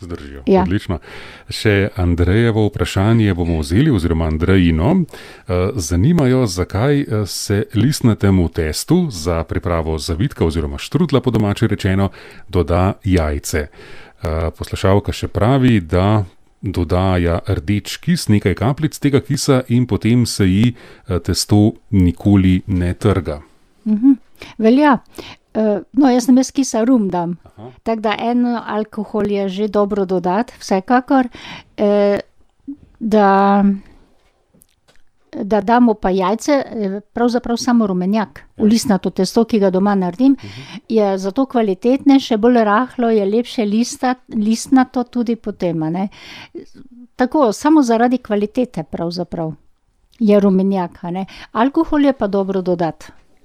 Zdržijo, Ja. odlično. Še Andrejevo vprašanje bomo vzeli, oziroma Andrejino. Zanimajo, zakaj se listnatemu testu za pripravo zavitka oziroma štrudla, po domače rečeno, doda jajce. Poslušalka še pravi, da dodaja rdeč kis, nekaj kapljic tega kisa in potem se ji testo nikoli ne trga. Velja. No, jaz namesto kisa rum dam. Tako da en alkohol je že dobro dodati, vsekakor. Da damo pa jajce, pravzaprav samo rumenjak. V listnato testo, ki ga doma naredim, je zato kvalitetnejše, bolj rahlo, je lepše listnato tudi potem, a ne. Tako, samo zaradi kvalitete pravzaprav je rumenjak, a ne. Alkohol je pa dobro dodati.